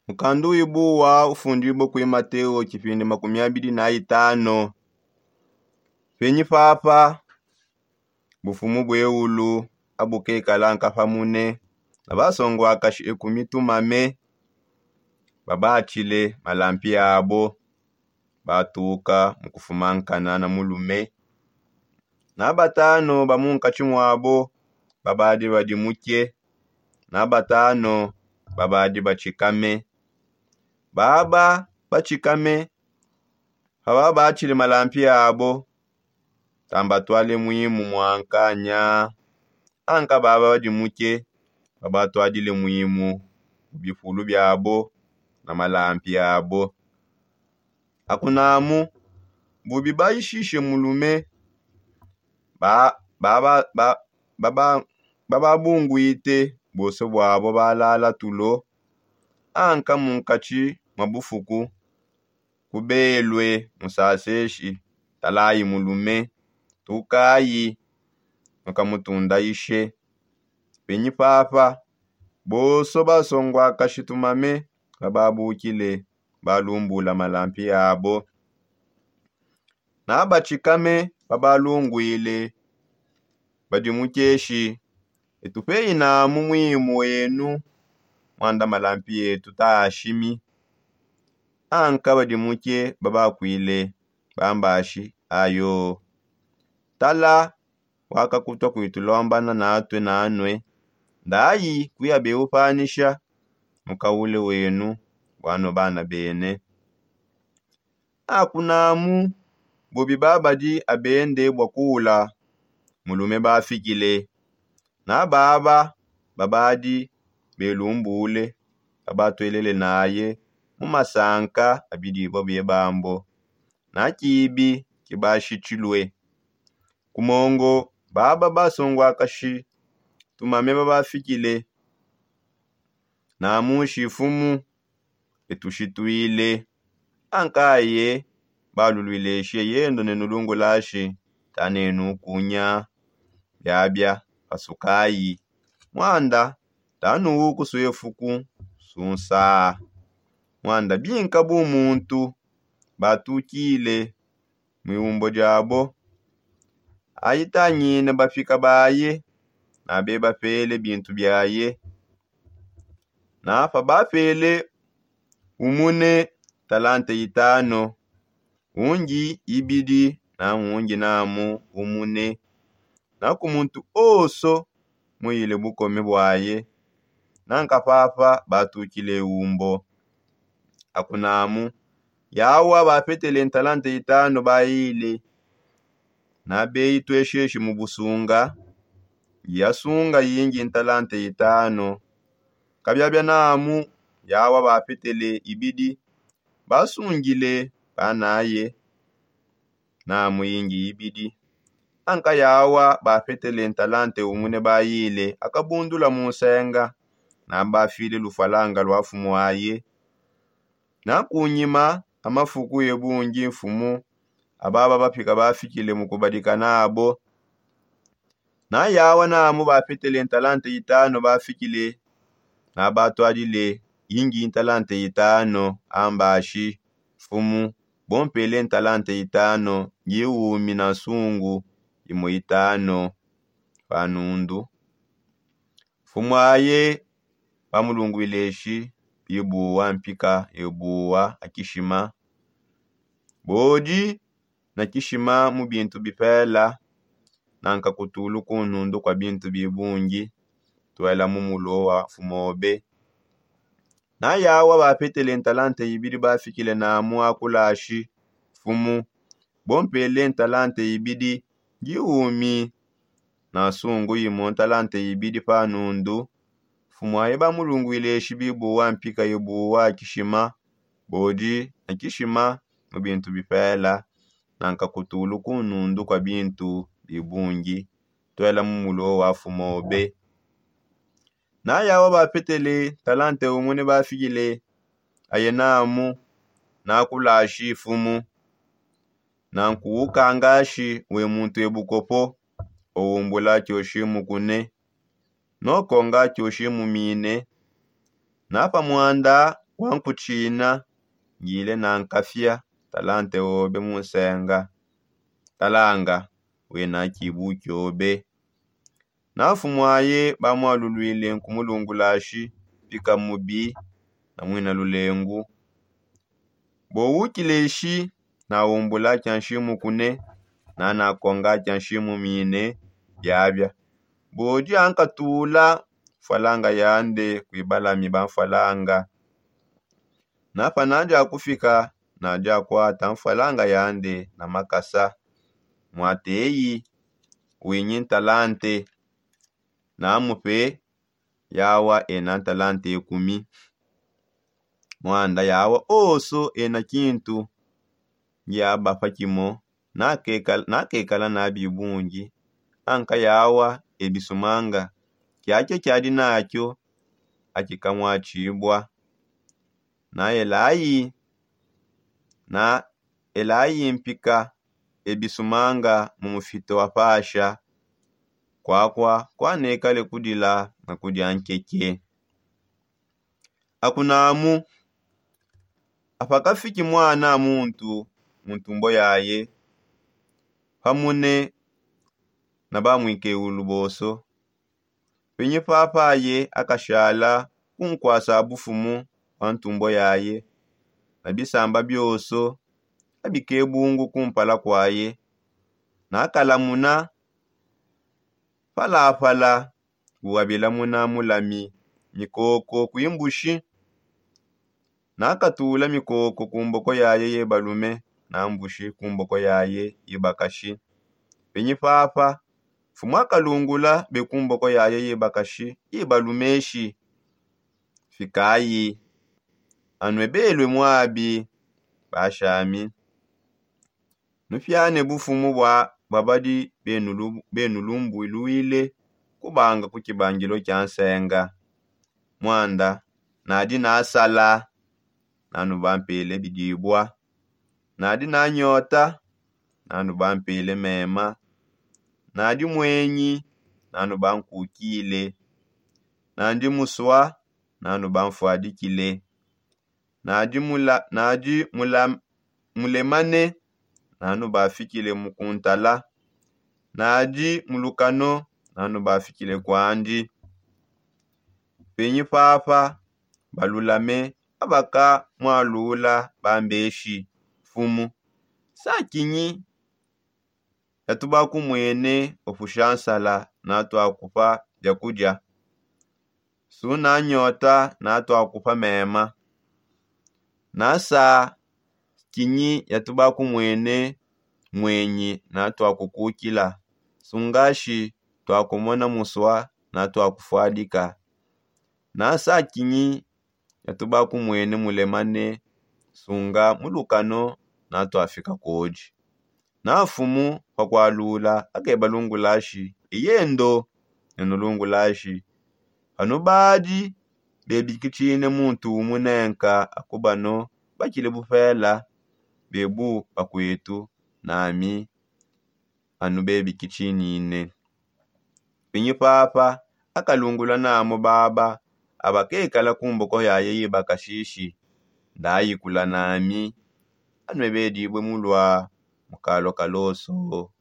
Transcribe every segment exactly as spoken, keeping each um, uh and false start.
Mukandu wibuwa ufundibue kui mateo tshipindi makumi abidi na itano. Penyi papa bufumu bue ulu abukekala nkapamune na basonguakashi ekumi tumame babatshile malampi abo batuka mu kufumankana na mulume, na batano ba munkatshi muabo babadi badimuke, na batano babadi batshikame. Baba batshikame pababatshile malampi abo tambatwale mwimu muankanya. Anka baba badimuke babatwadile mwimu mu bipulu biabo na malampi abo. Akunamu bubi baishishe mulume ba- ba- ba- ba- baba- bababunguite bose bwabo balala tulo. Anka munkatshi mwa bufuku kubelwe musaseshi, talayi mulume, tukayi mukamutundaishe. Penyi papa bonso basonguakashi tumame bababukile balumbula malampi abo na batshikame babalungwile badimukeshi, etu peinamu mwimu wenu mwanda malampi etu taashimi. Anka badimuke babakwile bambashi ayo, tala wakakutua kuitulombana natue nanue ndayi kuyabe upanisha mukaule wenu bwano bana bene. Akunamu bubi babadi abende bwa kuula mulume bafikile na baba babadi belumbule babatwelele naye mu masanka abidibua bie bambo na kibi kibashitshilue. Kumongo baba basonguakashi tumame babafikile na mushi fumu etushitwile. Ankaye balulwileshe yendo ne nulungulashi tanenu kunya biabia pasukayi mwanda tanuwu kusue fuku sunsa. Mwanda binka bu muntu batukile mu iumbo diabo ayitangine bapika baye na bebapele bintu biaye. Na pabapele umune talante itano, ungi ibidi na ungi namu umune, na ku muntu onso muyile bukome bwaye. Nanka papa batukile umbo akunamu yawa bapetele ntalante itano bayile na beyi tuesheshi mu busunga yasunga yingi ntalante itano. Kabiabia namu yawa bapetele ibidi basungile banaye namu yingi ibidi. Anka yawa bapetele ntalante umune bayile akabundula mu nsenga na bafile lufalanga lwa fumu aye. Na kunyima amafuku ye bungi mfumu ababa bapika bafikile mu kubadika nabo na yawa namu bapetele ntalante itano bafikile na batwadile yingi ntalante itano ambashi mfumu bompele ntalante itano ngiwumi na nsungu imo itano pa nundu. Mfumu aye bamulungwile eshi bibuwa mpika ebuwa akishima bodi na kishima mu bintu bipela nanka kutulu ku nundu kwa bintu bibungi twela mu mulo wa fumobe. Na yawa bapetele ntalante ibidi bafikile namu akulashi mfumu bompele ntalante ibidi ngiwumi na nsungu imo ntalante ibidi pa nundu. Mfumu aye bamulungwile eshi bibuwa mpika ibuwa kishima bodi na kishima mu bintu bipela nanka kutulu ku nundu kwa bintu bibungi twela mu mulo wa fumobe. Na yawa bapetele talante umune bafikile aye namu nakulashi mfumu na nkuwukangashi we muntu ebukopo owumbula kyoshi mukune nokonga kyoshi mumine. Na pa mwanda Wankutshina, ngile na nkafia talante obe mu nsenga. Talanga, wena kibu kiobe. Na nfumu aye bamwalulwile nkumulungulashi, pika mubi na mwina lulengu. Bo ukileshi, na umbula kia nshimu kune, na nakonga kia nshimu mine biabia. Bodi ankatula mfwalanga yande kuibalami ba mfwalanga. Napa nadi akufika, nadi akwata mfwalanga yande na makasa. Mwateyi, winyi ntalante. Namupe yawa ena ntalante ekumi. Mwanda yawa oso ena kintu ngiabapa kimo. Nakekala na bibungi. Anka yawa ebisumanga kiakia kiadi nakio akikamwatshibua. Na elayi na elayi mpika ebisumanga mu mufito wa pasha. Kwakwa kwanekale kudila na kudia nkeke. Akunamu apakafiki mwana muntu mu ntumbo yaye, pamune na bamwikeulu boso. Penyi papa aye akashala kunkwasa bufumu bua ntumbo yaye, na bisamba bioso abike bungu kumpala kwaye. Nakalamuna palapala, uabilamuna mulami mikoko kuimbushi. Nakatula mikoko ku mboko yaye ye balume, na mbushi ku mboko yaye ye bakashi. Penyi papa mfumu akalungula be ku mboko yaye ye bakashi ye balumeshi. Fikayi, anue belue muabi bashami. Nupiane bufumu bua badi benulumbuluile kubanga ku kibangilo kia nsenga. Mwanda nadi nasala, nanubampele bidibua. Nadi nanyota, nanubampele mema. Nadi muenyi, nanubankukile. Nadi musua, nanubanfuadikile. Nadi mulemane, nanubafikile mu kuntala. Nadi mulukano, nanubafikile kwandi. Penyi papa balulame abakamwalula bambeshi. Mfumu, sakinyi yatubakumwene upusha nsala natuakupa biakudia? Suna nyota natuakupa mema. Nasa kinyi yatubakumwene mwenyi natuakukukila? Sungashi tuakumona musua natuakufuadika. Nasa kinyi yatubakumwene mulemane? Sunga mulukano natuafika kodi. Na mfumu pakualula akebalungulashi, eyendo nenulungulashi. Panubadi bebikitshine muntu umunenka akubano bakile bupela, bebu bakuetu nami anu bebikitshinine. Pinyi papa akalungula namu baba abakekala ku mboko yaye yibakashishi, ndayikula nami anue bedibue mulua mukalua kaloso.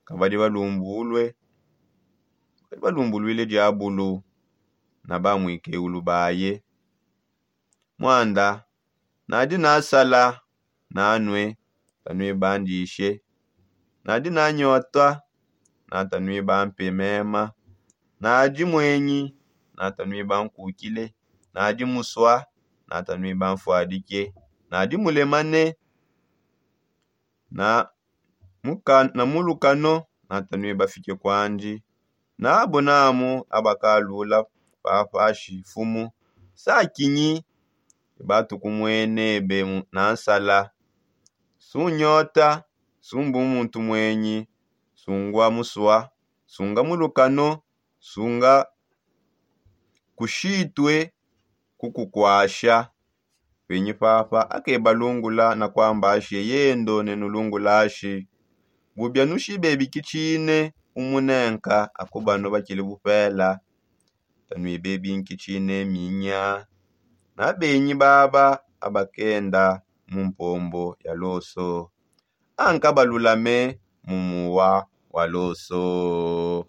Kabadi balumbulue, kabadi balumbuluile diabulu na bamwikeulu baye. Mwanda nadi nasala nanue, tanuibandishe. Nadi nanyota, na tanuibampe mema. Nadi mwenyi, na tanuibankukile. Nadi musua, na tanuibanfuadike. Nadi mulemane, na mulukano, na tanuibafike kwandi. Nabo namu abakalula papashi, mfumu, sakinyi batukumwenebe na nsala? Sunyota, sumbu muntu mwenyi, sungua musua, sunga mulukano, sunga kushitue kukukwasha. Penyi papa akebalungula na kuambashi, eyendo nenulungulashi. Bubia nushibebikitshine umunenka akubano bakile bupela, tanuibebinkitshine minya. na benyi baba abakenda mu mpombo ya loso, anka balulame mu muwa wa loso.